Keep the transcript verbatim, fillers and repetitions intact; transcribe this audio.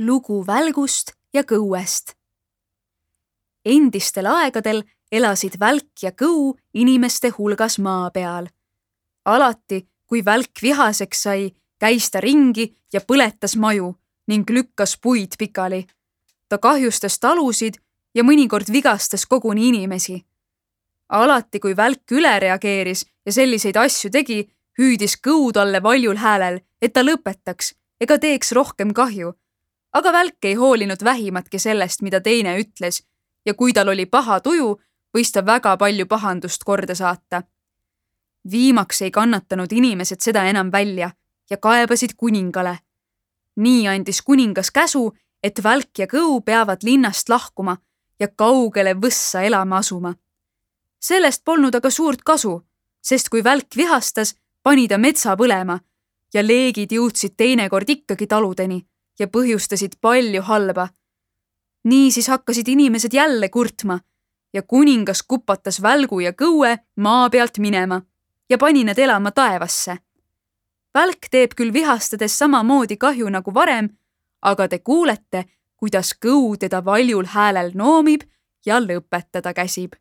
Lugu välgust ja kõuest. Endistel aegadel elasid välk ja kõu inimeste hulgas maa peal. Alati, kui välk vihaseks sai, käis ta ringi ja põletas maju ning lükkas puid pikali. Ta kahjustas talusid ja mõnikord vigastas koguni inimesi. Alati, kui välk üle reageeris ja selliseid asju tegi, hüüdis kõu talle valjul häälel, et ta lõpetaks ega teeks rohkem kahju. Aga välk ei hoolinud vähimatki sellest, mida teine ütles, ja kui tal oli paha tuju, võis ta väga palju pahandust korda saata. Viimaks ei kannatanud inimesed seda enam välja ja kaebasid kuningale. Nii andis kuningas käsu, et välk ja kõu peavad linnast lahkuma ja kaugele võssa elama asuma. Sellest polnud aga suurt kasu, sest kui välk vihastas, pani ta metsa põlema ja leegid jõudsid teinekord ikkagi taludeni ja põhjustasid palju halba. Niisiis hakkasid inimesed jälle kurtma ja kuningas kupatas välgu ja kõue maa pealt minema ja pani need elama taevasse. Välk teeb küll vihastades samamoodi kahju nagu varem, aga te kuulete, kuidas kõu teda valjul häälel noomib ja lõpetada käsib.